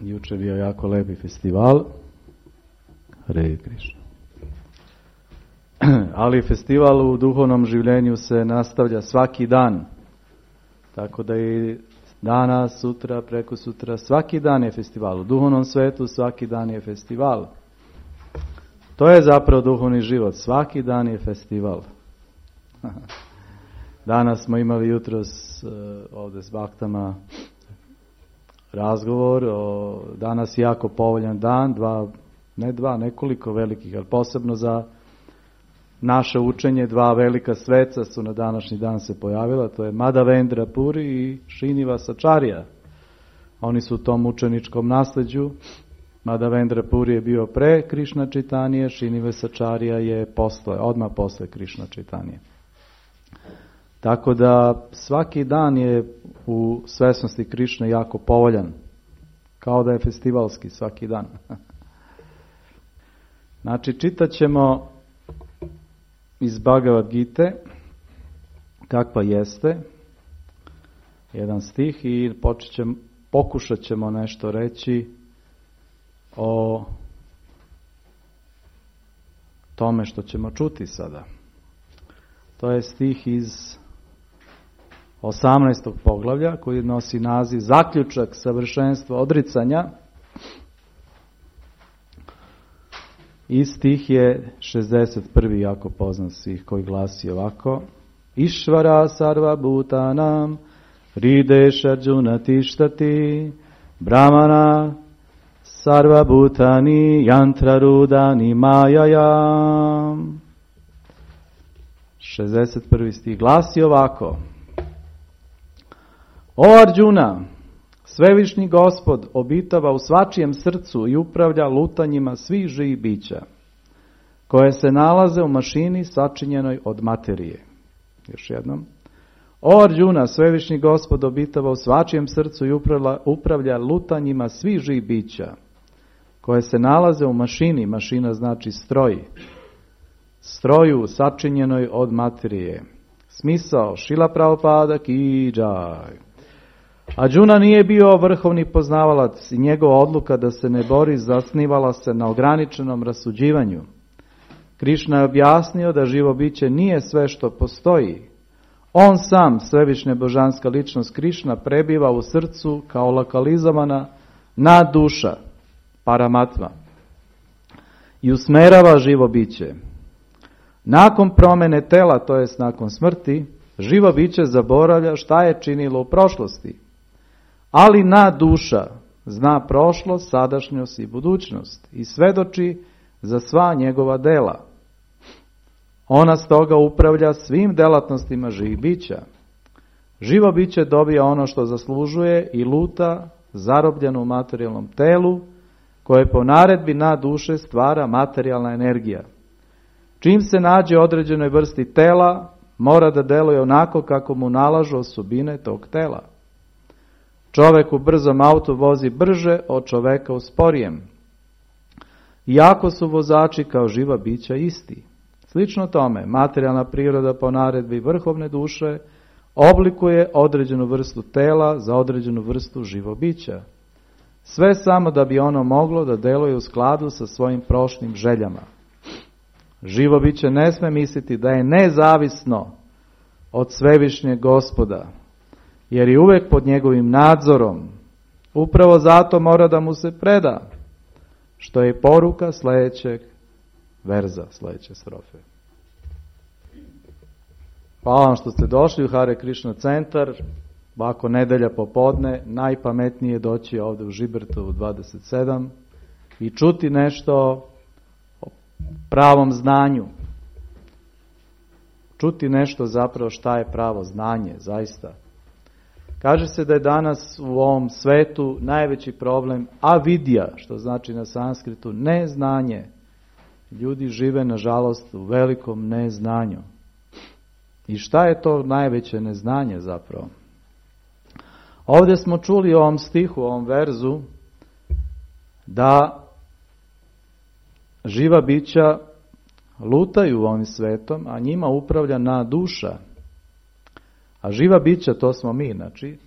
Juče bio jako lepi festival. Hare Krišna. Ali festival u duhovnom življenju se nastavlja svaki dan. Tako da i danas, sutra, preko sutra, svaki dan je festival. U duhovnom svetu svaki dan je festival. To je zapravo duhovni život. Svaki dan je festival. Danas smo imali jutros ovdje s baktama razgovor. Danas je jako povoljan dan. Nekoliko velikih, ali posebno za naše učenje, dva velika sveca su na današnji dan se pojavila. To je Madhavendra Puri i Srinivasacharya. Oni su u tom učeničkom nasljeđu. Madhavendra Puri je bio pre Krišna Čaitanije, Srinivasacharya je odmah posle Krišna Čaitanije. Tako da svaki dan je u svesnosti Krišne jako povoljan. Kao da je festivalski svaki dan. Znači, čitat ćemo iz Bhagavad Gite kakva jeste, jedan stih, i pokušat ćemo nešto reći o tome što ćemo čuti sada. To je stih iz 18. poglavlja koji nosi naziv Zaključak savršenstva odricanja. I stih je 61. jako poznat stih koji glasi ovako: Išvara sarva bhutanam hrideš Arjuna tištati brahmana sarva bhutani yantra rudani majayam. 61. stih glasi ovako: O Arjuna, Svevišnji Gospod obitava u svačijem srcu i upravlja lutanjima svih živih bića, koje se nalaze u mašini sačinjenoj od materije. Još jednom. O Arjuna, Svevišnji Gospod obitava u svačijem srcu i upravlja lutanjima svih živih bića, koje se nalaze u mašini, mašina znači stroj, stroju sačinjenoj od materije. Smisao Šila Prabhupada ki džaj. Arjuna nije bio vrhovni poznavalac i njegova odluka da se ne bori zasnivala se na ograničenom rasuđivanju. Krišna je objasnio da živo biće nije sve što postoji. On sam, svevišnja božanska ličnost Krišna, prebiva u srcu kao lokalizovana nadduša, paramatma, i usmerava živo biće. Nakon promjene tela, to jest nakon smrti, živo biće zaboravlja šta je činilo u prošlosti. Ali nadduša zna prošlost, sadašnjost i budućnost i svedoči za sva njegova dela. Ona stoga upravlja svim delatnostima živih bića. Živo biće dobija ono što zaslužuje i luta zarobljeno u materijalnom telu, koje po naredbi nadduše stvara materijalna energija. Čim se nađe određenoj vrsti tela, mora da deluje onako kako mu nalažu osobine tog tela. Čovek u brzom autu vozi brže od čoveka u sporijem, iako su vozači kao živa bića isti. Slično tome, materijalna priroda po naredbi vrhovne duše oblikuje određenu vrstu tela za određenu vrstu živobića. Sve samo da bi ono moglo da deluje u skladu sa svojim prošlim željama. Živo biće ne sme misliti da je nezavisno od Svevišnjeg Gospoda, jer je uvek pod njegovim nadzorom. Upravo zato mora da mu se preda, što je poruka sljedećeg verza, sljedeće strofe. Hvala vam što ste došli u Hare Krišna centar. Ovako nedelja popodne, najpametnije je doći ovdje u Žibertovu 27 i čuti nešto o pravom znanju. Čuti nešto zapravo šta je pravo znanje, zaista. Kaže se da je danas u ovom svetu najveći problem avidija, što znači na sanskritu neznanje. Ljudi žive, nažalost, u velikom neznanju. I šta je to najveće neznanje zapravo? Ovdje smo čuli u ovom stihu, u ovom verzu, da živa bića lutaju ovim svetom, a njima upravlja nadduša. A živa bića, to smo mi, znači,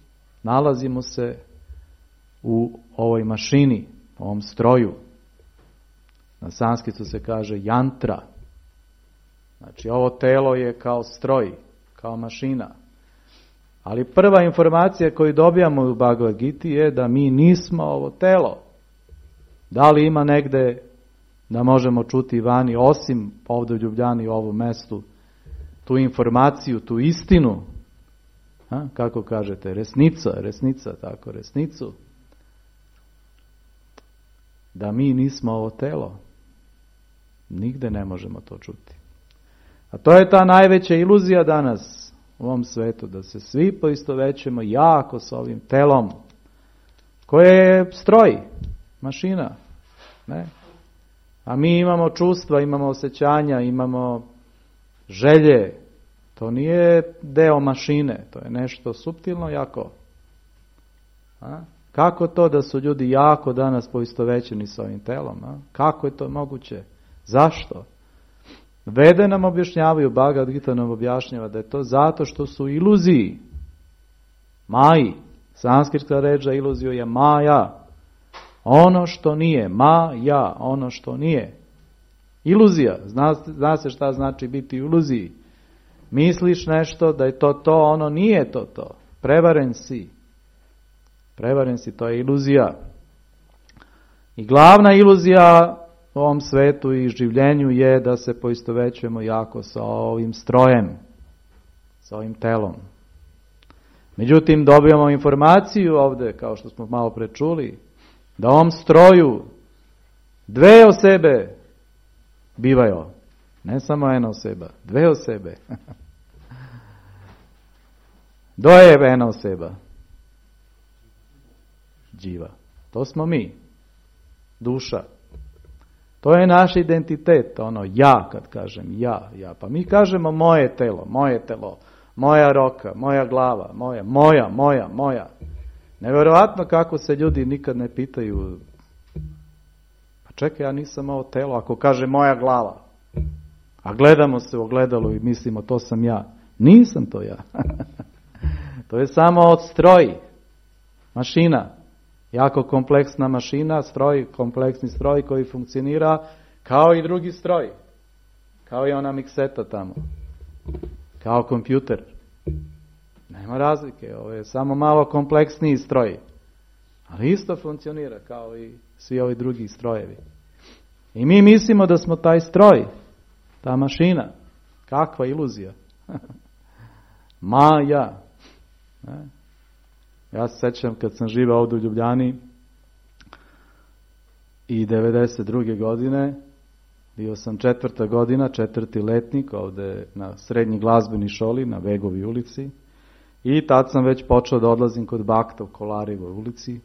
nalazimo se u ovoj mašini, u ovom stroju. Na sanskritu se kaže jantra. Znači ovo telo je kao stroj, kao mašina. Ali prva informacija koju dobijamo u Bhagavad Giti je da mi nismo ovo telo. Da li ima negde da možemo čuti vani, osim ovdje u Ljubljani, u ovom mestu, tu informaciju, tu istinu, kako kažete, resnica, tako, resnicu, da mi nismo ovo telo. Nigde ne možemo to čuti. A to je ta najveća iluzija danas u ovom svetu, da se svi poistovećujemo jako s ovim telom, koje je stroj, mašina, ne? A mi imamo čustva, imamo osjećanja, imamo želje. To nije deo mašine, to je nešto suptilno jako. Kako to da su ljudi jako danas poistovećeni s ovim telom? Kako je to moguće? Zašto? Vede nam objašnjavaju, Bhagavad Gita nam objašnjava da je to zato što su iluziji. Maji. Sanskritska reč za iluziju je maja. Ono što nije. Maja. Ono što nije. Iluzija. Zna se šta znači biti u iluziji. Misliš nešto da je to, ono nije to. Prevaren si. Prevaren si, to je iluzija. I glavna iluzija u ovom svetu i življenju je da se poistovećujemo jako sa ovim strojem, sa ovim telom. Međutim, dobijamo informaciju ovdje, kao što smo malo pre čuli, da u ovom stroju dve osobe bivaju. Ne samo jedna osoba, dve osobe. Doje jedna osoba. Dživa. To smo mi. Duša. To je naš identitet, ono ja, kad kažem ja. Pa mi kažemo moje telo, moja roka, moja glava, moja. Nevjerojatno kako se ljudi nikad ne pitaju, pa čekaj, ja nisam ovo telo, ako kaže moja glava. A gledamo se u ogledalu i mislimo to sam ja. Nisam to ja. To je samo od stroj, mašina. Jako kompleksna mašina, kompleksni stroj koji funkcionira kao i drugi stroj. Kao i ona mikseta tamo. Kao kompjuter. Nema razlike, ovo je samo malo kompleksniji stroj. Ali isto funkcionira kao i svi ovi drugi strojevi. I mi mislimo da smo taj stroj, ta mašina. Kakva iluzija. Maja. Ja se sjećam kad sam živao ovdje u Ljubljani i 92. godine, bio sam 4. godina, 4. letnik ovdje na srednji glazbeni školi na Vegovi ulici i tad sam već počeo da odlazim kod Bakta u Kolarevoj ulici.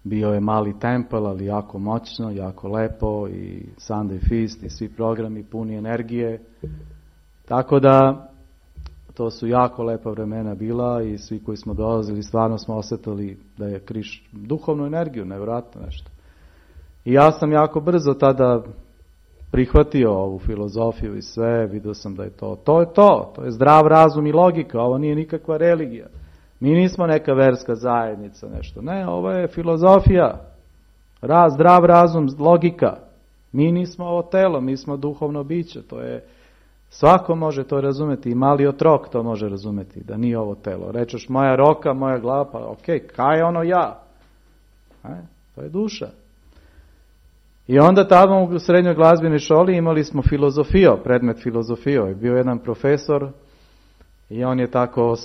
Bio je mali tempel, ali jako moćno, jako lepo i Sunday Feast i svi programi puni energije. Tako da to su jako lepa vremena bila i svi koji smo dolazili stvarno smo osjetili da je Kriš duhovnu energiju, nevjerojatno nešto. I ja sam jako brzo tada prihvatio ovu filozofiju i sve, vidio sam da je to je zdrav razum i logika, ovo nije nikakva religija. Mi nismo neka verska zajednica, nešto. Ne, ovo je filozofija, zdrav razum, logika. Mi nismo ovo telo, mi smo duhovno biće, to je. Svako može to razumjeti, i mali otrok to može razumjeti, da nije ovo telo. Rečeš moja roka, moja glava, pa ok, kaj je ono ja? To je duša. I onda tamo u srednjoj glazbenoj školi imali smo filozofiju, predmet filozofiju. Je bio jedan profesor i on je tako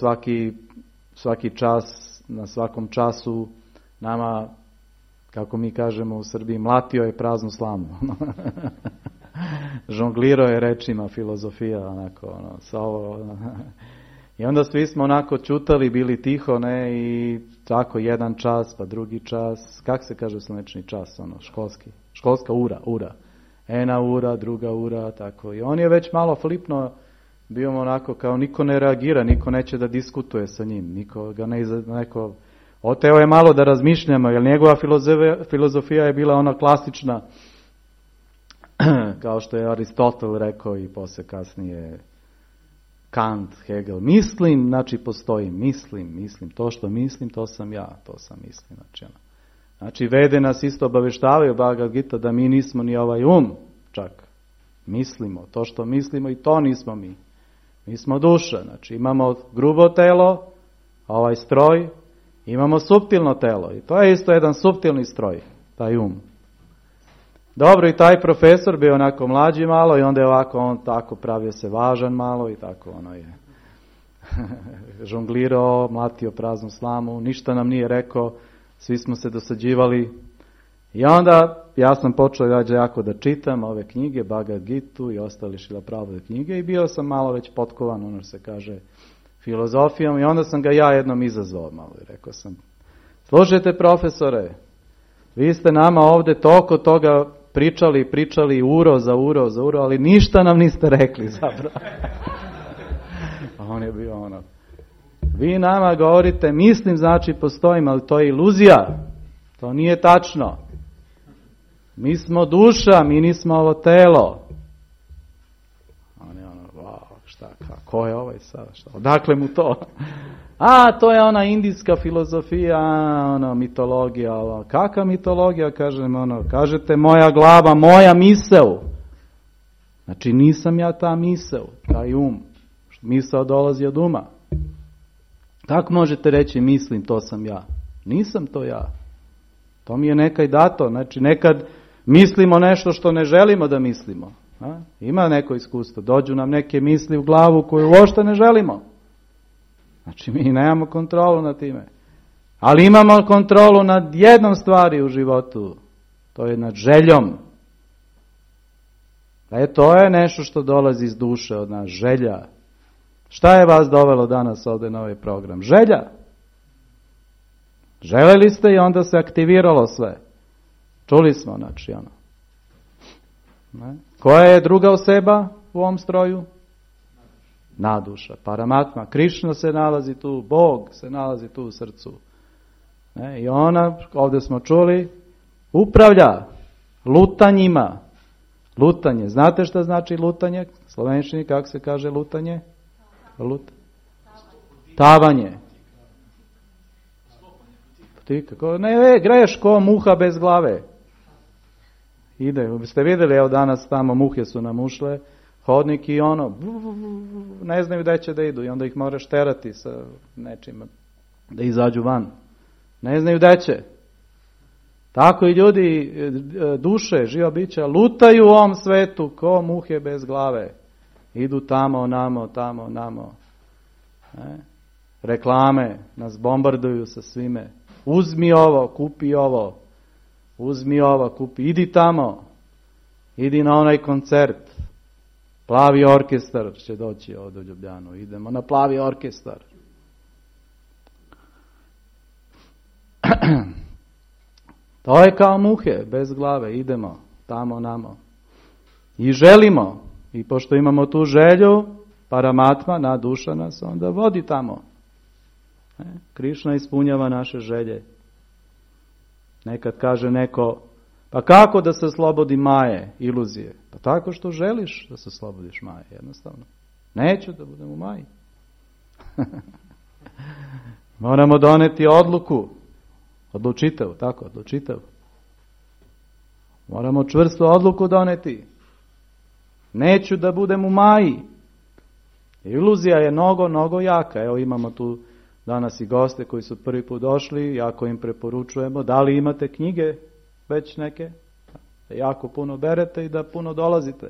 svaki čas, na svakom času nama, kako mi kažemo u Srbiji, mlatio je praznu slamu. Žonglirao je rečima filozofija, onako, I onda svi smo onako čutali, bili tiho, ne, i tako jedan čas, pa drugi čas, kak se kaže slunečni čas, školska ura. Ena ura, druga ura, tako. I on je već malo flipno, bio onako kao niko ne reagira, niko neće da diskutuje sa njim, niko ga neko oteo je malo da razmišljamo, jer njegova filozofija je bila ona klasična, kao što je Aristotel rekao i poslije kasnije Kant, Hegel. Mislim, znači postoji. Mislim. To što mislim, to sam ja. To sam mislim. Znači Vede nas isto obaveštavaju, Bhagavad Gita, da mi nismo ni ovaj čak. Mislimo. To što mislimo i to nismo mi. Mi smo duša. Znači imamo grubo telo, ovaj stroj, imamo suptilno telo. I to je isto jedan suptilni stroj, taj Dobro, i taj profesor bio onako mlađi malo i onda je ovako, on tako pravio se važan malo i tako ono je žonglirao, mlatio praznu slamu, ništa nam nije rekao, svi smo se dosađivali. I onda ja sam počeo jako da čitam ove knjige, Bhagavad Gitu i ostale Šrila Prabhupada knjige i bio sam malo već potkovan, ono se kaže, filozofijom i onda sam ga ja jednom izazvao malo i rekao sam, slušajte profesore, vi ste nama ovdje toliko toga pričali uro za uro, ali ništa nam niste rekli zapravo. A on je bio ono, vi nama govorite, mislim znači postojim, ali to je iluzija, to nije tačno. Mi smo duša, mi nismo ovo telo. On je ono, ko je ovaj sad, odakle mu to? To je ona indijska filozofija, mitologija, kakva mitologija, kažete moja glava, moja misel. Znači nisam ja ta misel, taj misao dolazi od uma. Kako možete reći mislim to sam ja? Nisam to ja. To mi je nekaj dato, znači nekad mislimo nešto što ne želimo da mislimo. Ima neko iskustvo, dođu nam neke misli u glavu koju uopšte ne želimo. Znači mi nemamo kontrolu nad time. Ali imamo kontrolu nad jednom stvari u životu. To je nad željom. To je nešto što dolazi iz duše od nas, želja. Šta je vas dovelo danas ovdje na ovaj program? Želja. Želeli ste i onda se aktiviralo sve. Čuli smo, znači ono. Koja je druga osoba u ovom stroju? Naduša, Paramatma. Krišna se nalazi tu, Bog se nalazi tu u srcu. I ona, ovdje smo čuli, upravlja lutanjima. Lutanje. Znate šta znači lutanje? Slovenščini kako se kaže lutanje? Tavanje. Ne, greš ko muha bez glave. Ide, ste vidjeli, evo danas tamo muhe su nam ušle, hodnik i ne znaju gdje će da idu i onda ih moraš terati sa nečim da izađu van. Ne znaju gdje će. Tako i ljudi, duše, živa bića, lutaju u ovom svetu ko muhe bez glave. Idu tamo, namo. Reklame nas bombarduju sa svime. Uzmi ovo, kupi ovo. Uzmi ovo, kupi, idi tamo. Idi na onaj koncert. Plavi orkestar će doći ovdje u Ljubljanu. Idemo na plavi orkestar. To je kao muhe, bez glave. Idemo tamo, namo. I želimo. I pošto imamo tu želju, Paramatma, na duša nas onda vodi tamo. Krišna ispunjava naše želje. Nekad kaže neko, pa kako da se slobodi maje, iluzije? Pa tako što želiš da se slobodiš maje, jednostavno. Neću da budem u maji. Moramo doneti odluku. Odlučitev. Moramo čvrstu odluku doneti. Neću da budem u maji. Iluzija je mnogo jaka. Evo imamo tu danas i goste koji su prvi put došli, jako im preporučujemo. Da li imate knjige već neke? Da jako puno berete i da puno dolazite.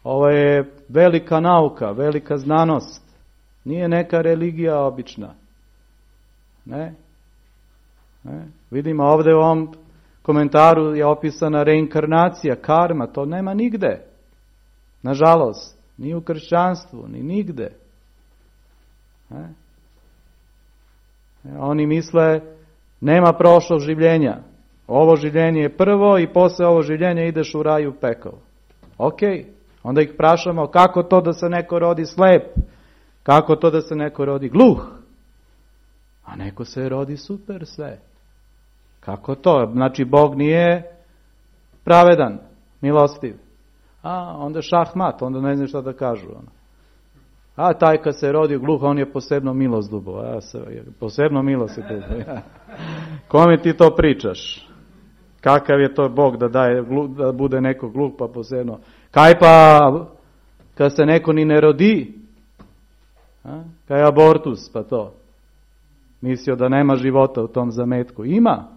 Ovo je velika nauka, velika znanost. Nije neka religija obična. Ne? Vidimo ovdje u ovom komentaru je opisana reinkarnacija, karma, to nema nigde. Nažalost, ni u kršćanstvu, ni nigde. Oni misle, nema prošlog življenja. Ovo življenje je prvo i posle ovo življenja ideš u raj u pekao. Ok, onda ih prašamo kako to da se neko rodi slep, kako to da se neko rodi gluh, a neko se rodi super sve. Kako to? Znači Bog nije pravedan, milostiv. Onda šahmat, onda ne znam šta da kažu. A taj kad se rodio gluh, on je posebno milost dubo. Posebno milost je dubo. Kome ti to pričaš? Kakav je to Bog da bude neko gluh pa posebno? Kaj pa kad se neko ni ne rodi? Kaj je abortus pa to? Mislio da nema života u tom zametku. Ima.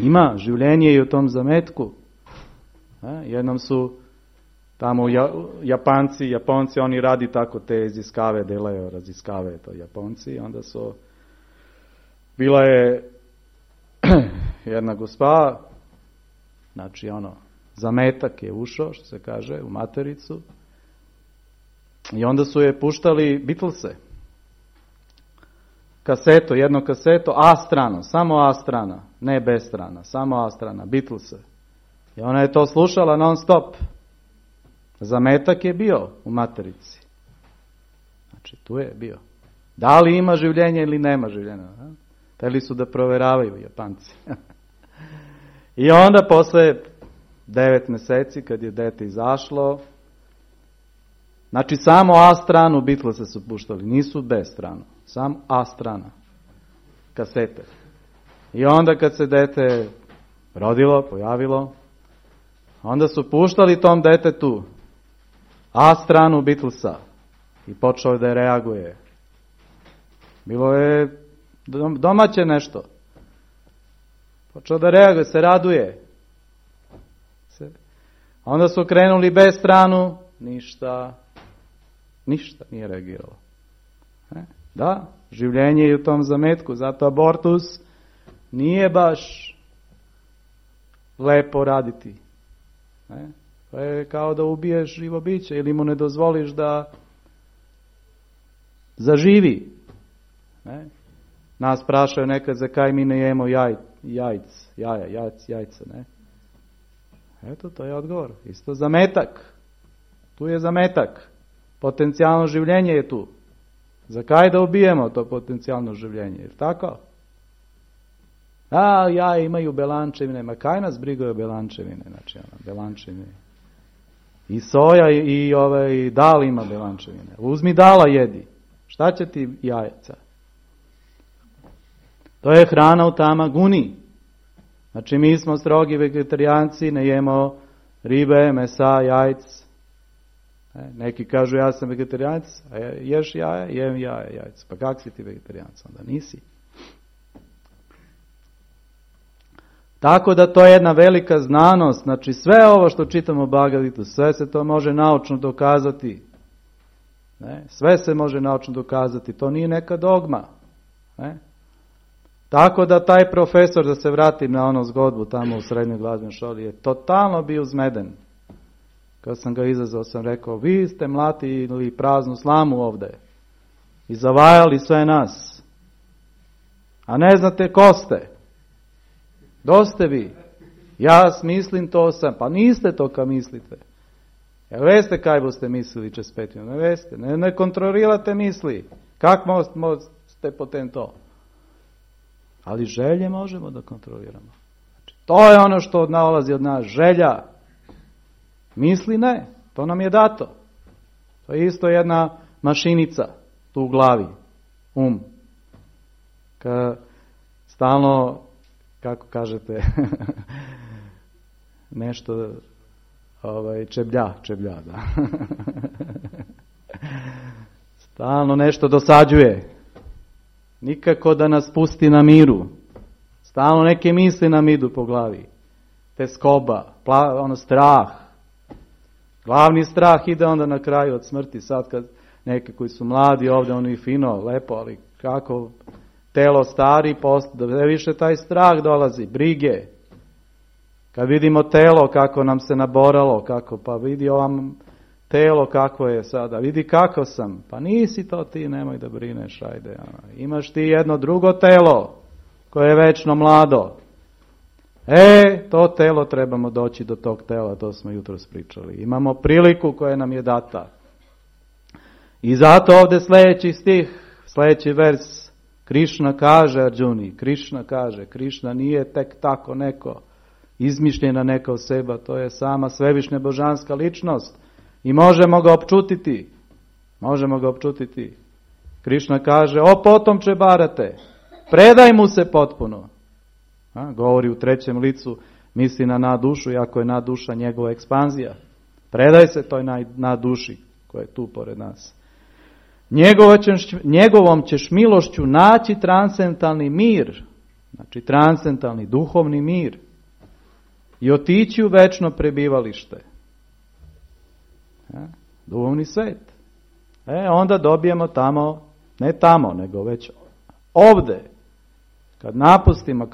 Ima. Življenje je u tom zametku. Jednom su tamo Japonci, oni radi tako te iziskave, delaju raziskave to Japonci. Onda su, bila je jedna gospa, znači zametak je ušao, što se kaže, u matericu. I onda su je puštali Beatlese. Kaseto, jedno kaseto, A strana, samo A strana, ne B strana, samo A strana, Beatlese. I ona je to slušala non stop. Zametak je bio u materici. Znači, tu je bio. Da li ima življenje ili nema življenja? Hteli su da proveravaju Japanci. I onda posle 9 mjeseci, kad je dete izašlo, znači samo A stranu Beatlese su puštali, nisu B stranu, samo A strana, kasete. I onda kad se dete rodilo, pojavilo, onda su puštali tom detetu A stranu Beatlesa i počeo da reaguje. Bilo je domaće nešto. Počeo da reaguje, se raduje. Onda su krenuli B stranu, ništa nije reagiralo. Da, življenje je u tom zametku, zato abortus nije baš lepo raditi. To je kao da ubiješ živo biće ili mu ne dozvoliš da zaživi. Nas prašaju nekad za kaj mi ne jemo jajca. Ne? Eto, to je odgovor. Isto zametak. Tu je zametak. Potencijalno življenje je tu. Za kaj da ubijemo to potencijalno življenje? Jer tako? Jaja imaju belančevine. Ma kaj nas brigaju belančevine? Znači, belančevine. I soja i dal ima belančevine. Uzmi dala jedi. Šta će ti jajca? To je hrana u tamaguni. Znači mi smo strogi vegetarijanci, ne jemo ribe, mesa, jajc. Neki kažu ja sam vegetarijanac, a ješ jaja, jem jajca. Pa kak si ti vegetarijanac? Onda nisi. Tako da to je jedna velika znanost. Znači sve ovo što čitamo u Bhagavad Gita, sve se to može naučno dokazati. Sve se može naučno dokazati. To nije neka dogma. Tako da taj profesor, da se vratim na zgodbu tamo u srednjoj glazbenoj školi, je totalno bio uzmeden. Kad sam ga izazvao, sam rekao, vi ste mlatili praznu slamu ovdje i zavajali sve nas. A ne znate ko ste. Doste vi. Ja mislim to sam. Pa niste to ka mislite. Jel veste kaj boste mislili čez 5 minuta? Ne veste. Ne kontrolirate misli. Kak možete potem to? Ali želje možemo da kontroliramo. Znači, to je ono što nalazi od nas. Želja. Misli ne. To nam je dato. To je isto jedna mašinica tu u glavi. Stalno, kako kažete, nešto čeblja, da. Stalno nešto dosađuje. Nikako da nas pusti na miru. Stalno neke misli nam idu po glavi. Teskoba, strah. Glavni strah ide onda na kraju od smrti. Sad kad neki koji su mladi ovdje, oni fino, lepo, ali kako telo stari, da više taj strah dolazi, brige. Kad vidimo telo kako nam se naboralo, pa vidi ovam telo kako je sada, vidi kako sam, pa nisi to ti, nemoj da brineš, ajde. Imaš ti jedno drugo telo koje je večno mlado. To telo trebamo doći do tog tela, to smo jutros pričali. Imamo priliku koja nam je data. I zato ovdje sljedeći stih, sljedeći vers, Krišna kaže Arjuni, Krišna nije tek tako neko, izmišljena neka osoba, to je sama svevišnja božanska ličnost i možemo ga opčutiti. Možemo ga opčutiti. Krišna kaže, o potomče Bharate, predaj mu se potpuno. Govori u trećem licu, misli na naddušu, iako je nadduša njegova ekspanzija. Predaj se toj nadduši koja je tu pored nas. Njegovom ćeš milošću naći transcendentalni mir, znači transcendentalni duhovni mir i otići u večno prebivalište. Duhovni svet. Onda dobijemo tamo, ne tamo, nego već ovde. Kad napustimo,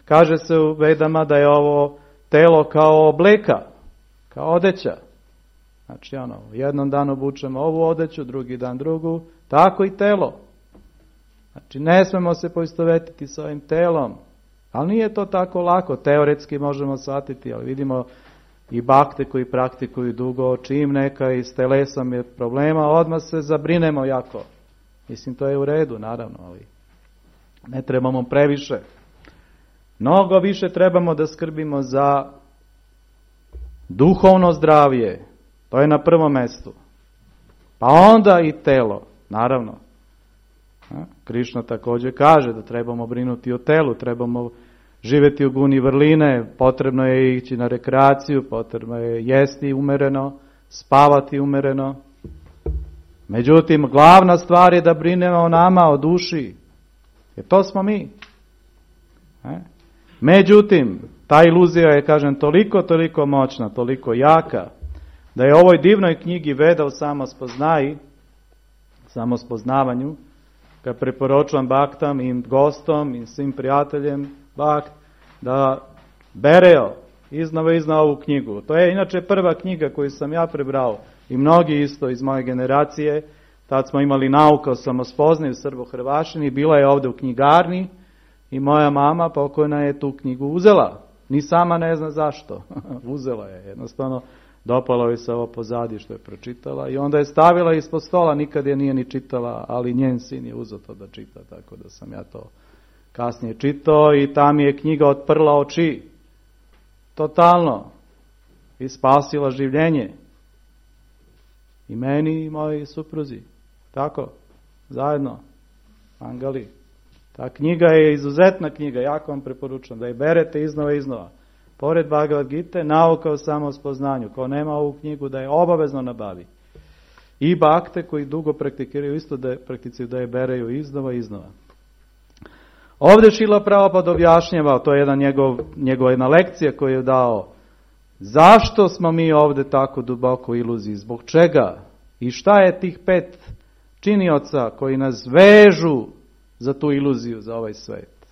kaže se u Vedama da je ovo telo kao obleka, kao odeća. Znači jednom danu obučemo ovu odeću, drugi dan drugu, tako i telo. Znači ne smemo se poistovetiti s ovim telom, ali nije to tako lako, teoretski možemo shvatiti, ali vidimo i bakte koji praktikuju dugo, čim neka i s telesom je problema, odmah se zabrinemo jako. Mislim, to je u redu, naravno, ali ne trebamo previše. Mnogo više trebamo da skrbimo za duhovno zdravlje. To je na prvom mestu. Pa onda i telo, naravno. Krišna također kaže da trebamo brinuti o telu, trebamo živjeti u guni vrline, potrebno je ići na rekreaciju, potrebno je jesti umereno, spavati umereno. Međutim, glavna stvar je da brinemo o nama, o duši. Jer to smo mi. Međutim, ta iluzija je, kažem, toliko moćna, toliko jaka, da je u ovoj divnoj knjigi Veda o samospoznavanju, kad preporučujem baktam i gostom i svim prijateljem bakt, da bereo iznova ovu knjigu. To je inače prva knjiga koju sam ja prebrao i mnogi isto iz moje generacije. Tad smo imali nauku o samospoznaju Srbo-Hrvašini, bila je ovdje u knjigarni i moja mama pokojna je tu knjigu uzela. Ni sama ne zna zašto. Uzela je, jednostavno dopalo joj se ovo pozadije što je pročitala i onda je stavila ispod stola, nikad je nije ni čitala, ali njen sin je uzeo to da čita, tako da sam ja to kasnije čitao i tam je knjiga otprla oči. Totalno. I spasila življenje. I meni i moji supruzi. Tako, zajedno. Angali. Ta knjiga je izuzetna knjiga, jako vam preporučujem da je berete iznova. Pored Bhagavad Gite, nauka o samospoznanju. Ko nema ovu knjigu, da je obavezno nabavi. I bakte koji dugo praktikiraju isto da je bereju iznova. Ovdje Šrila Prabhupada objašnjava, to je njegova jedna lekcija koju je dao, zašto smo mi ovdje tako duboko u iluziji, zbog čega i šta je tih 5 činioca koji nas vežu za tu iluziju, za ovaj svet.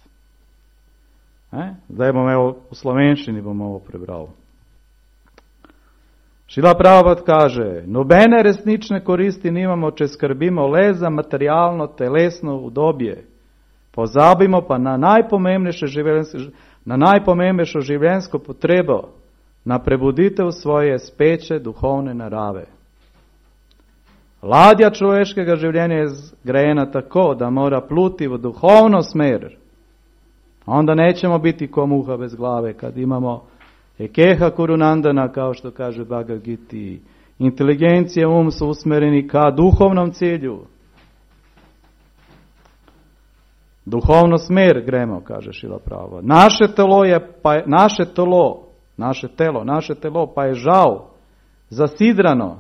Da evo u slovenščini bom ovo prebral. Šrila Prabhupada kaže, nobene resnične koristi nimamo, če skrbimo le za materialno, telesno udobje. Pozabimo pa na najpomembnejšo življenjsko potrebo, na prebuditev svoje speče duhovne narave. Ladja človeškega življenja je zgrajena tako, da mora pluti v duhovno smer. Onda nećemo biti ko muha bez glave, kad imamo ekeha kurunandana, kao što kaže Bhagavad Gita. Inteligencija, su usmereni ka duhovnom cilju. Duhovno smer gremo, kaže Šrila Prabhupada. Naše telo pa je žal zasidrano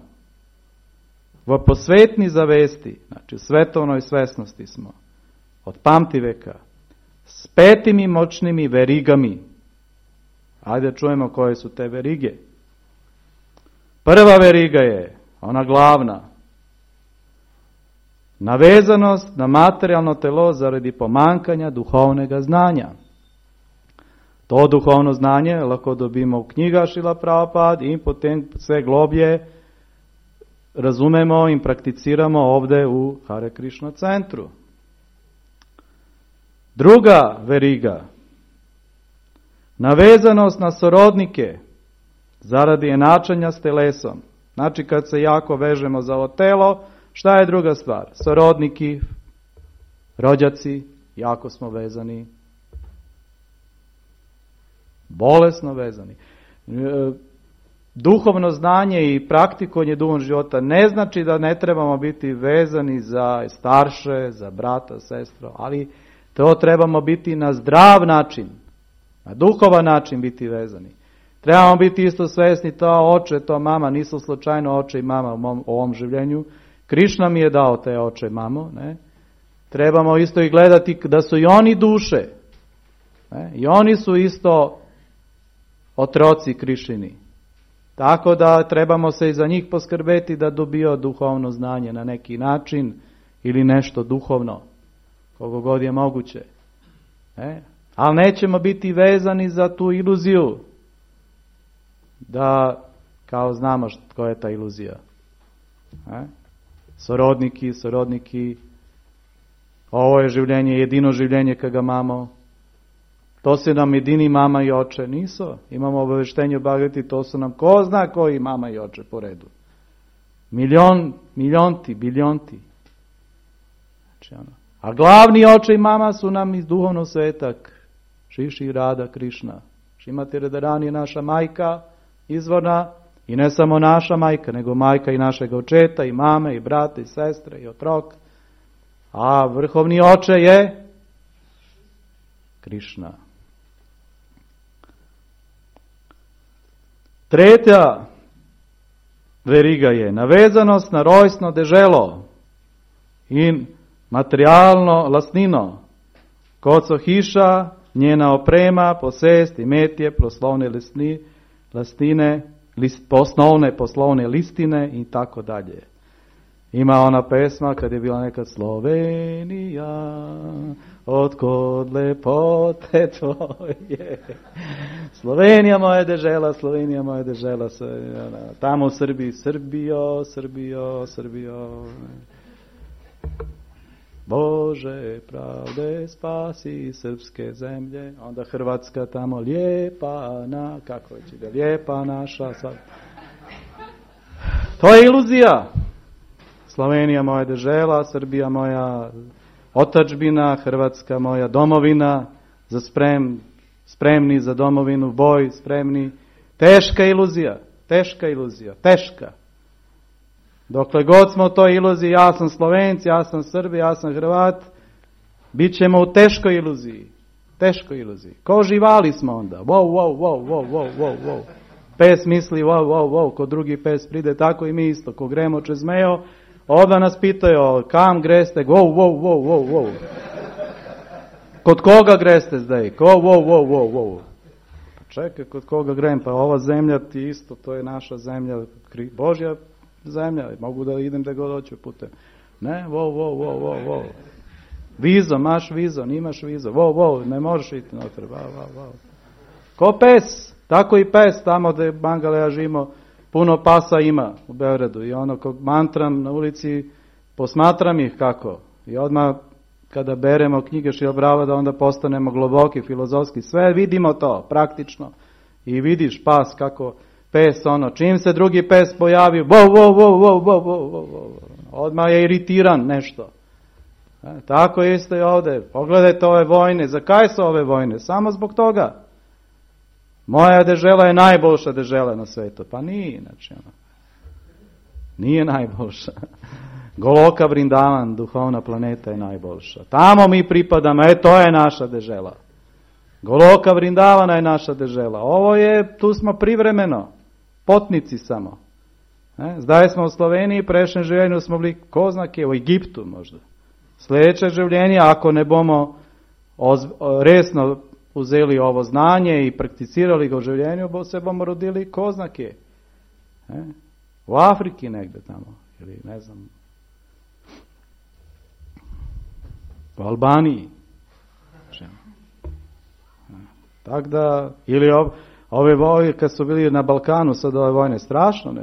v posvetni zavesti, znači u svetovnoj svesnosti smo, od pamtiveka, s 5 moćnimi verigami. Ajde čujemo koje su te verige. Prva veriga je, ona glavna, navezanost na materijalno telo zaradi pomankanja duhovnega znanja. To duhovno znanje lahko dobimo u knjiga Šrila Prabhupada in potem sve globlje razumemo in prakticiramo ovdje u Hare Krishna centru. Druga veriga, navezanost na sorodnike zaradi enačanja s telesom. Znači kad se jako vežemo za ovo telo, šta je druga stvar? Sorodniki, rođaci, jako smo vezani. Bolesno vezani. duhovno znanje i praktikovanje duhovnog života ne znači da ne trebamo biti vezani za starše, za brata, sestru, ali to trebamo biti na zdrav način, na duhovan način biti vezani. Trebamo biti isto svjesni, to oče, to mama, nisu slučajno oče i mama u ovom življenju. Krišna mi je dao te oče i mamo. Ne? Trebamo isto i gledati da su i oni duše. Ne? I oni su isto otroci Krišini. Tako da trebamo se i za njih poskrbeti da dobio duhovno znanje na neki način ili nešto duhovno, koliko god je moguće. Ali nećemo biti vezani za tu iluziju da kao znamo koja je ta iluzija. Sorodniki, ovo je življenje, jedino življenje kad ga imamo. To su nam jedini mama i oče, nisu. Imamo obaveštenje o Bhagavati, to su nam ko zna koji mama i oče po redu. Biljonti. Znači, a glavni oče i mama su nam iz duhovnog sveta, Šiši Rada Krišna. Šrimati Radharani je naša majka, izvorna, i ne samo naša majka, nego majka i našeg očeta, i mame, i brata, i sestre, i otrok. A vrhovni oče je Krišna. Tretja veriga je navezanost na rojstno deželo in materialno lastnino. Kot so hiša, njena oprema, posest, imetje, poslovne lastine, osnovne poslovne listine i tako dalje. Ima ona pesma kad je bila nekad Slovenija, otkud lepote tvoje. Slovenija moja dežela, tamo u Srbiji, Srbijo. Bože pravde spasi srpske zemlje, onda Hrvatska tamo lijepa, kako će da lijepa naša. To je iluzija. Slovenija moja dežela, Srbija moja otadžbina, Hrvatska moja domovina, spremni za domovinu, boj, spremni. Teška iluzija. Dokle god smo u toj iluziji, ja sam Slovenci, ja sam Srbi, ja sam Hrvat, bit ćemo u teškoj iluziji. Ko živali smo onda. Wow. Pes misli wow, ko drugi pes pride, tako i mi isto. Ko gremo čez mejo, onda nas pitaju, kam greste, wow. Kod koga greste zdaj? Wow. Čekaj, kod koga grem? Pa ova zemlja ti isto, to je naša zemlja, Božja zemlja, mogu da idem da god hoću putem. Ne, wow. Vizo, maš vizo, nimaš vizo, wow, ne možeš iti noter, wow. Ko pes, tako i pes, tamo gde Bangale ja živimo, puno pasa ima u Beogradu i ono kog mantram na ulici, posmatram ih kako. I odmah kada beremo knjige Šrila Prabhupada, onda postanemo globoki, filozofski, sve vidimo to, praktično. I vidiš pas kako pes, čim se drugi pes pojavi, wow, odmah je iritiran nešto. Tako isto i ovdje. Pogledajte ove vojne. Zakaj su ove vojne? Samo zbog toga. Moja dežela je najboljša dežela na svetu. Pa nije, nije najboljša. Goloka Vrindavan, duhovna planeta je najboljša. Tamo mi pripadamo, to je naša dežela. Goloka Vrindavana je naša dežela. Ovo je, tu smo privremeno. Potnici samo. Zdaj smo u Sloveniji, prejšnjem življenju smo bili, ko zna kje, u Egiptu možda. Sljedeće življenje, ako ne bomo resno uzeli ovo znanje i prakticirali ga u življenju, se bomo rodili ko zna kje. U Afriki negde tamo, ili ne znam, u Albaniji. Tako da, ili ove vojne, kad su bili na Balkanu, sad ove vojne, strašno,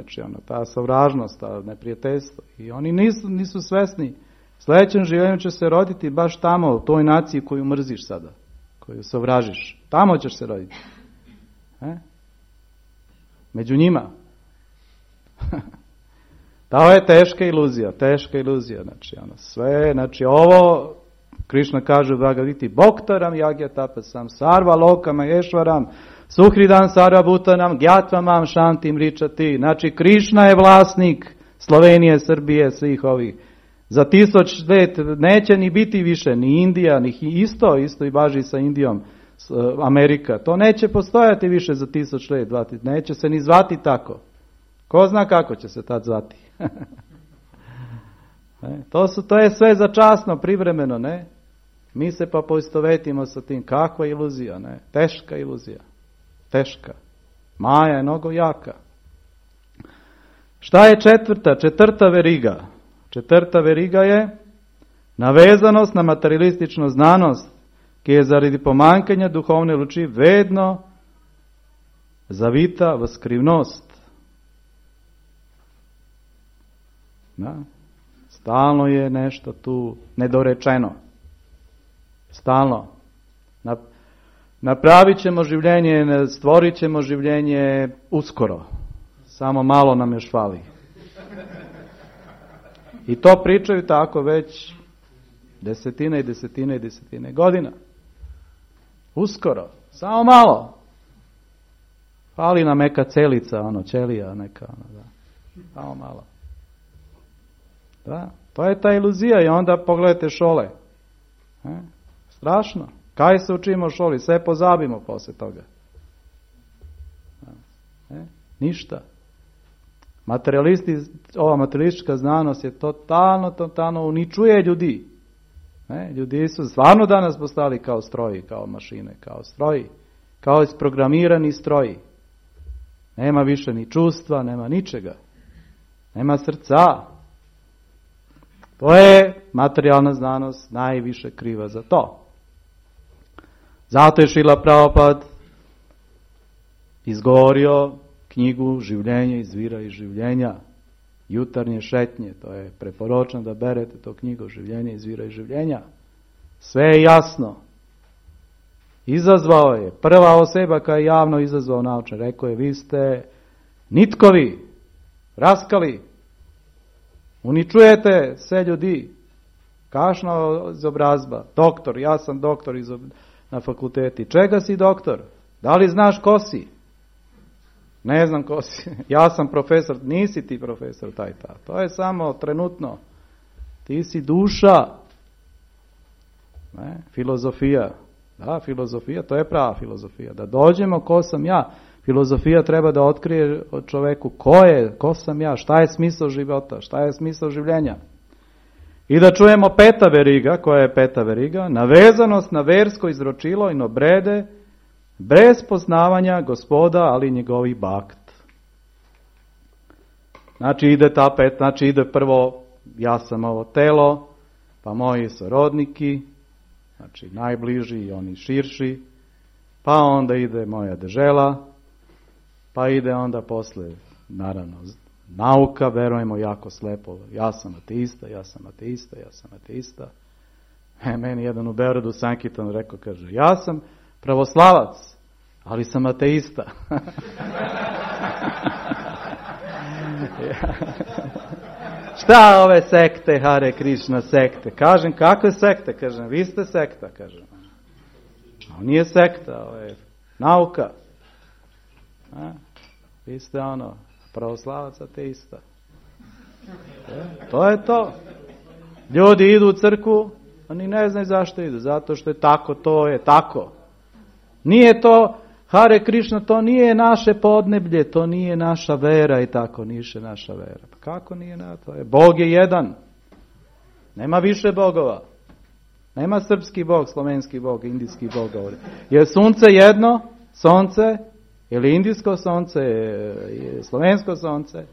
ta savražnost, ta neprijateljstvo. I oni nisu svesni. Sljedećem življenju će se roditi baš tamo, u toj naciji koju mrziš sada, koju savražiš. Tamo ćeš se roditi. Među njima. To je teška iluzija. Sve, ovo, Krišna kaže u Bhagavati, Bhoktaram Yagyatapasam, Sarva Lokama Ešvaram, Suhridan Sarabhutanam, Gyatvam Shantim Ričati. Znači, Krišna je vlasnik Slovenije, Srbije, svih ovih. Za 1000 let neće ni biti više, ni Indija, ni isto i važi sa Indijom, Amerika. To neće postojati više za 1000 let, neće se ni zvati tako. Ko zna kako će se tad zvati? To je sve začasno, privremeno, ne? Mi se pa poistovetimo sa tim. Kakva iluzija, ne? Teška iluzija. Teška. Maja je mnogo jaka. Šta je četvrta veriga? Četvrta veriga je navezanost na materialistično znanost, ki je zaradi pomankanja duhovne luči vedno zavita v skrivnost. Da? Stalno je nešto tu nedorečeno. Stalno. Napravit ćemo življenje, stvorit ćemo življenje uskoro. Samo malo nam još fali. I to pričaju tako već desetine godina. Uskoro. Samo malo. Fali nam neka celica, ćelija neka. Da. Samo malo. Da, to je ta iluzija i onda pogledajte šole. Strašno. Kaj se učimo u šoli? Sve pozabimo posle toga. Ništa. Ova materialistička znanost je totalno uničuje ljudi. Ljudi su stvarno danas postali kao stroji, kao mašine, kao stroji, kao isprogramirani stroji. Nema više ni čustva, nema ničega. Nema srca. To je materijalna znanost najviše kriva za to. Zato je Šrila Prabhupada izgovorio knjigu Življenje izvira iz življenja, jutarnje šetnje, to je preporočno da berete to knjigu Življenje izvira iz življenja. Sve je jasno. Izazvao je, prva osoba koja je javno izazvao naučne, rekao je, vi ste nitkovi, raskali, uničujete sve ljudi, kašna izobrazba, doktor, ja sam doktor na fakulteti, čega si doktor? Da li znaš ko si? Ne znam ko si. Ja sam profesor. Nisi ti profesor taj. To je samo trenutno. Ti si duša. Filozofija. Da, filozofija. To je prava filozofija. Da dođemo ko sam ja. Filozofija treba da otkrije od čoveku ko sam ja, šta je smisao života, šta je smisao življenja. I da čujemo peta veriga. Koja je peta veriga? Navezanost na versko izročilo in obrede bez poznavanja Gospoda, ali njegovih bakt. Znači ide prvo ja sam ovo telo, pa moji sorodniki, znači najbliži i oni širši, pa onda ide moja dežela, pa ide onda posle, naravno, nauka, verujemo jako slepo, ja sam ateista. Meni jedan u Beogradu Sankitan rekao, kaže, ja sam pravoslavac, ali sam ateista. Šta ove sekte, Hare Krishna sekte? Kažem, kakve sekte? Kažem, vi ste sekta, kažem. Ovo nije sekta, ovo je nauka. Vi ste pravoslavac, ateista. To je to. Ljudi idu u crkvu, oni ne znaju zašto idu, zato što je tako, to je tako. Nije to, Hare Krishna, to nije naše podneblje, to nije naša vera i tako, nije naša vera. Pa kako nije to? Bog je jedan. Nema više bogova. Nema srpski bog, slovenski bog, indijski bog. Je sunce jedno, sonce, ili indijsko sonce, slovensko sonce.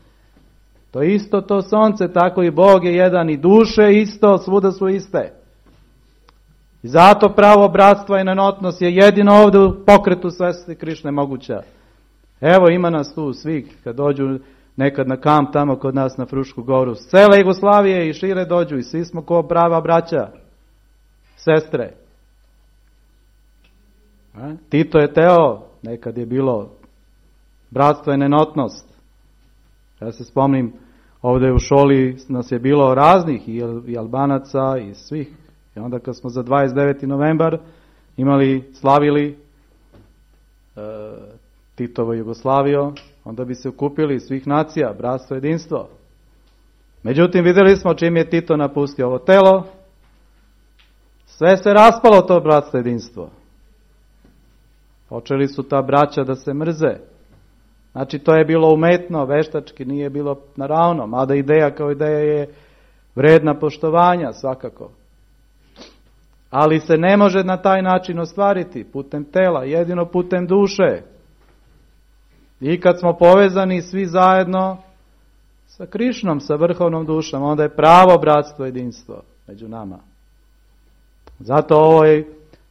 To isto to sonce, tako i Bog je jedan i duše isto, svuda su iste. I zato pravo bratstva i nenotnost je jedino ovdje u pokretu Svete Krišne moguća. Evo ima nas tu svih, kad dođu nekad na kamp tamo kod nas na Frušku goru, s cele Jugoslavije i šire dođu i svi smo ko prava braća, sestre. Tito je teo, nekad je bilo bratstvo i nenotnost. Ja se spomnim, ovdje u šoli nas je bilo raznih i Albanaca i svih. I onda kad smo za 29. novembar slavili Titovo Jugoslaviju, onda bi se okupili svih nacija, bratstvo, jedinstvo. Međutim, vidjeli smo čim je Tito napustio ovo telo, sve se raspalo to bratstvo, jedinstvo. Počeli su ta braća da se mrze. Znači, to je bilo umetno, veštački, nije bilo naravno, mada ideja kao ideja je vredna poštovanja svakako. Ali se ne može na taj način ostvariti putem tela, jedino putem duše. I kad smo povezani svi zajedno sa Krišnom, sa vrhovnom dušom, onda je pravo bratstvo, jedinstvo među nama. Zato ovo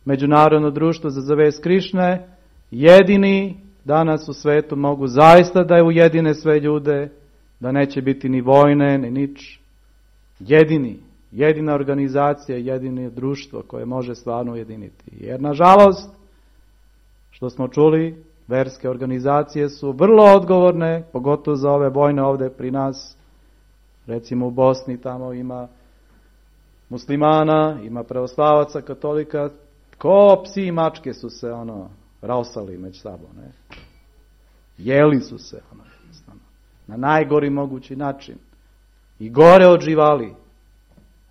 međunarodno društvo za zavest Krišne jedini danas u svetu mogu zaista da ujedine sve ljude, da neće biti ni vojne, ni nič. Jedina organizacija, jedino društvo koje može stvarno ujediniti. Jer nažalost, što smo čuli, verske organizacije su vrlo odgovorne, pogotovo za ove vojne ovdje pri nas. Recimo u Bosni tamo ima muslimana, ima pravoslavaca, katolika, ko psi i mačke su se rausali među sobom, ne? Jeli su se, na najgori mogući način. I gore od živali.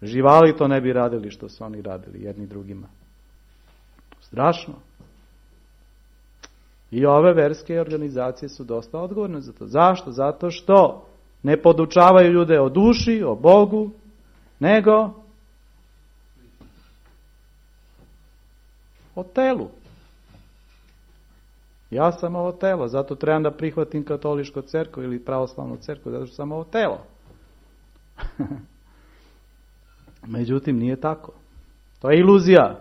Živali to ne bi radili što su oni radili jedni drugima. Strašno. I ove verske organizacije su dosta odgovorne za to. Zašto? Zato što ne podučavaju ljude o duši, o Bogu, nego o telu. Ja sam ovo telo, zato trebam da prihvatim katoličku crkvu ili pravoslavnu crkvu, zato što sam ovo telo. Međutim, nije tako. To je iluzija.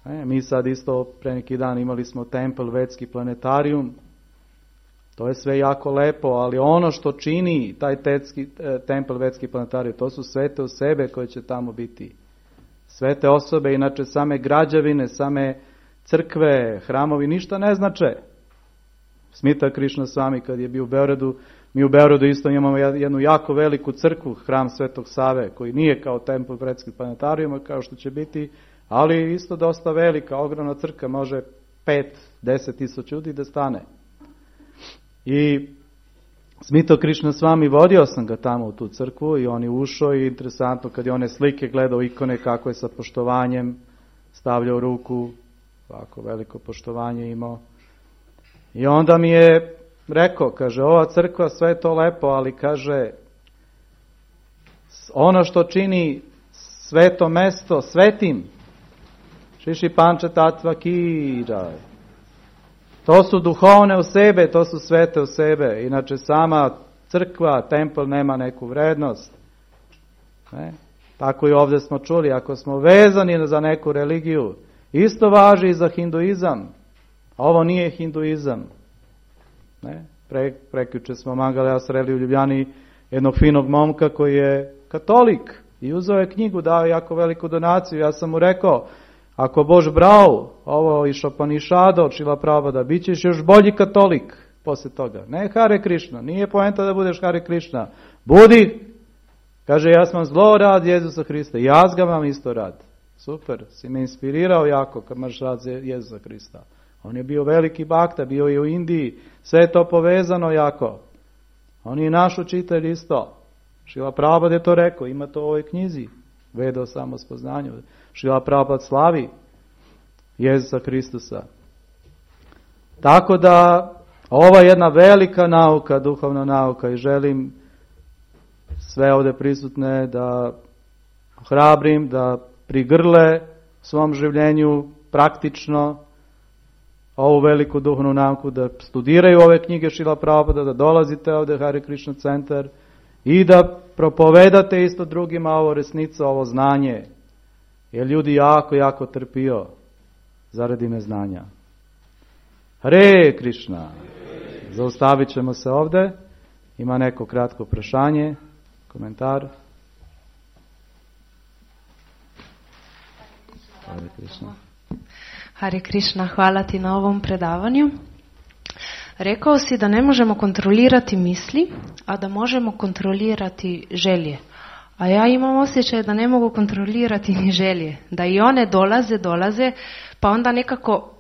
Mi sad isto pre neki dan imali smo tempel Vetski planetarijum. To je sve jako lepo, ali ono što čini taj tempel Vetski planetarijum, to su svete osobe koje će tamo biti. Svete osobe, inače same građevine, same crkve, hramovi, ništa ne znače. Smita Krišna Swami kad je bio u Beogradu, mi u Beogradu isto imamo jednu jako veliku crkvu, hram Svetog Save, koji nije kao tempel Vetskog planetarijuma, kao što će biti, ali isto dosta velika, ogromna crkva, može 5-10 tisuća ljudi da stane. I Smita Krišna Swami, vodio sam ga tamo u tu crkvu i on je ušao i interesantno kad je one slike gledao, ikone kako je sa poštovanjem stavljao ruku, ovako veliko poštovanje imao. I onda mi je rekao, kaže, ova crkva sve je to lepo, ali kaže, ono što čini sveto mesto svetim, šiši panča tatva kiraj. To su duhovne osobe, to su svete osobe. Inače sama crkva, tempel nema neku vrednost. Ne? Tako i ovdje smo čuli, ako smo vezani za neku religiju, isto važi i za hinduizam. Ovo nije hinduizam. Ne? Prekjuče smo Mangalea sreli u Ljubljani jednog finog momka koji je katolik i uzeo je knjigu, dao jako veliku donaciju. Ja sam mu rekao, ako boš brao ovo iz Šopanišada od Šrila Prabhupada, bit ćeš još bolji katolik poslije toga. Ne Hare Krišna, nije poenta da budeš Hare Krišna. Budi, kaže, ja sam zlo rad Jezusa Hrista, ja ga vam isto rad. Super, si me inspirirao jako kad imaš rad Jezusa Hrista. On je bio veliki bakta, bio je u Indiji, sve je to povezano jako. On je naš učitelj isto. Šrila Prabhupada je to rekao, ima to u ovoj knjizi, Veda o samospoznanju. Šrila Prabhupada slavi Jezusa Hristusa. Tako da, ova je jedna velika nauka, duhovna nauka i želim sve ovdje prisutne da hrabrim, da prigrle u svom življenju praktično ovu veliku duhovnu nauku, da studiraju ove knjige Šrila Prabhupada, da dolazite ovdje Hare Krishna centar i da propovedate isto drugima ovo resnico, ovo znanje. Jer ljudi jako trpio zaradi neznanja. Hare Krishna. Zaustavit ćemo se ovdje. Ima neko kratko prašanje, komentar. Hare Krishna. Hare Krishna, hvala ti na ovom predavanju. Rekao si da ne možemo kontrolirati misli, a da možemo kontrolirati želje. A ja imam osjećaj da ne mogu kontrolirati ni želje. Da i one dolaze, pa onda nekako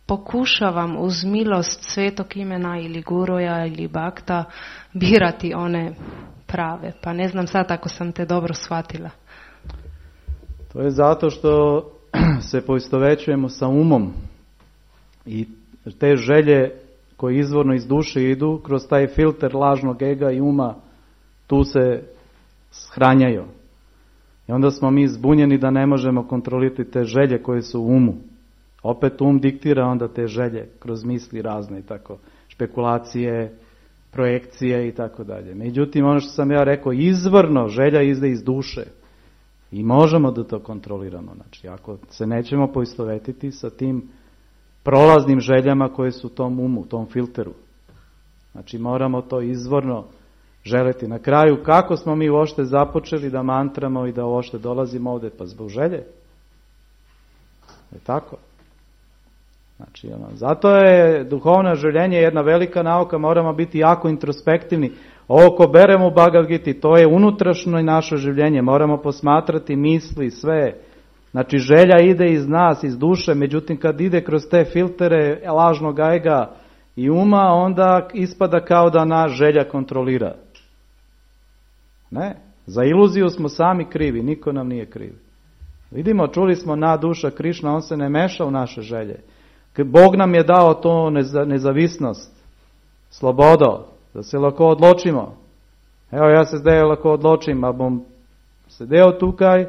pokušavam uz milost Svetog imena ili guroja ili bakta birati one prave. Pa ne znam sad ako sam te dobro shvatila. To je zato što se poistovećujemo sa umom i te želje koje izvorno iz duše idu kroz taj filter lažnog ega i uma, tu se shranjaju. I onda smo mi zbunjeni da ne možemo kontrolirati te želje koje su u umu. Opet diktira onda te želje kroz misli razne i tako, špekulacije, projekcije i tako dalje. Međutim, ono što sam ja rekao, izvorno želja izde iz duše i možemo da to kontroliramo. Znači, ako se nećemo poistovetiti sa tim prolaznim željama koje su u tom umu, u tom filteru. Znači, moramo to izvorno želeti. Na kraju, kako smo mi uopšte započeli da mantramo i da uopšte dolazimo ovdje? Pa zbog želje. Je tako? Znači, zato je duhovno željenje jedna velika nauka, moramo biti jako introspektivni. Ovo ko beremo u Bhagavad Gita, to je unutrašnjo naše življenje, moramo posmatrati misli, sve. Znači, želja ide iz nas, iz duše, međutim kad ide kroz te filtere lažnog ega i uma, onda ispada kao da nas želja kontrolira. Ne, za iluziju smo sami krivi, niko nam nije kriv. Vidimo, čuli smo na duša Krišna, on se ne meša u naše želje. Bog nam je dao to nezavisnost, slobodo, da se lako odločimo. Evo, ja se zdaj lako odločim, ali bom sedel tukaj,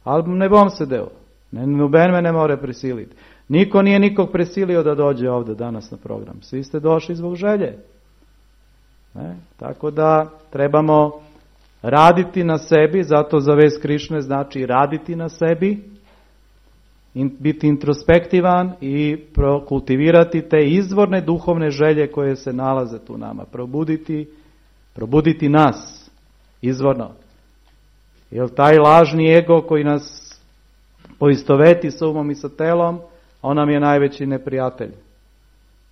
ali ne bom sedel. Noben me ne more prisiliti. Niko nije nikog prisilio da dođe ovdje danas na program. Svi ste došli zbog želje. Ne? Tako da trebamo raditi na sebi, zato za vez Krišne znači raditi na sebi, biti introspektivan i kultivirati te izvorne duhovne želje koje se nalaze tu nama. Probuditi nas izvorno. Jer taj lažni ego koji nas poistoveti sa umom i sa telom, on nam je najveći neprijatelj.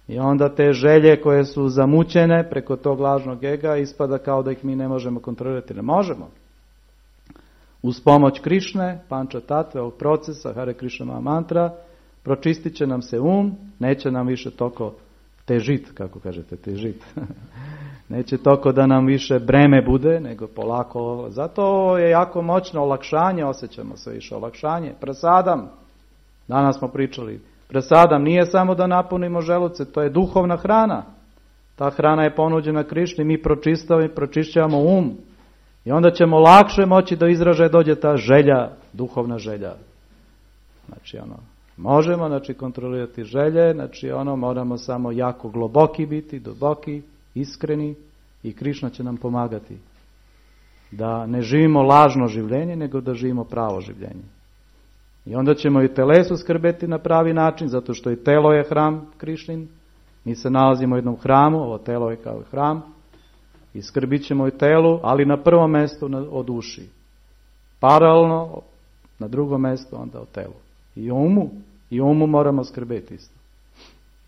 I onda te želje koje su zamućene preko tog lažnog ega ispada kao da ih mi ne možemo kontrolirati. Ne možemo. Uz pomoć Krišne, Panča Tatve, ovog procesa, Hare Krišna mantra, pročistit će nam se neće nam više toliko težit, kako kažete, težit. Neće toliko da nam više breme bude, nego polako. Zato je jako moćno olakšanje, osjećamo se više olakšanje. Prasadam, danas smo pričali, prasadam nije samo da napunimo želuce, to je duhovna hrana. Ta hrana je ponuđena Krišni, mi pročišćavamo i onda ćemo lakše moći do izražaja dođe ta želja, duhovna želja. Znači možemo kontrolirati želje, moramo samo jako globoki biti, duboki, iskreni i Krišna će nam pomagati. Da ne živimo lažno življenje, nego da živimo pravo življenje. I onda ćemo i telesu skrbeti na pravi način, zato što i telo je hram Krišnin. Mi se nalazimo u jednom hramu, ovo telo je kao hram. I skrbit ćemo i telu, ali na prvom mjestu o duši. Paralelno, na drugom mjestu onda o telu. I umu moramo skrbeti isto.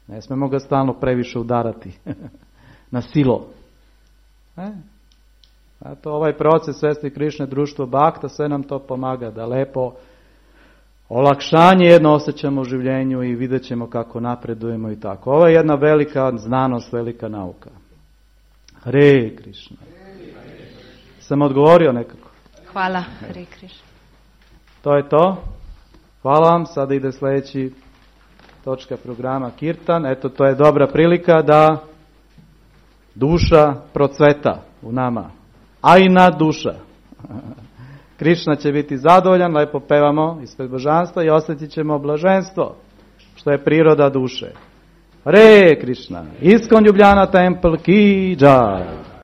Ne smemo ga stalno previše udarati na silo. Zato ovaj proces Svesti Krišne, društvo Bhakta, sve nam to pomaga da lepo olakšanje jedno osjećamo u življenju i vidjet ćemo kako napredujemo i tako. Ovo je jedna velika znanost, velika nauka. Hare Krišna. Sam odgovorio nekako? Hvala, Hare Krišna. To je to. Hvala vam. Sada ide sljedeći točka programa Kirtan. Eto, to je dobra prilika da duša procveta u nama. A i nad duša. Krišna će biti zadovoljan, lepo pevamo ispred božanstva i osjetit ćemo blaženstvo, što je priroda duše. Hare Krišna, Iskon Ljubljana Temple ki jai.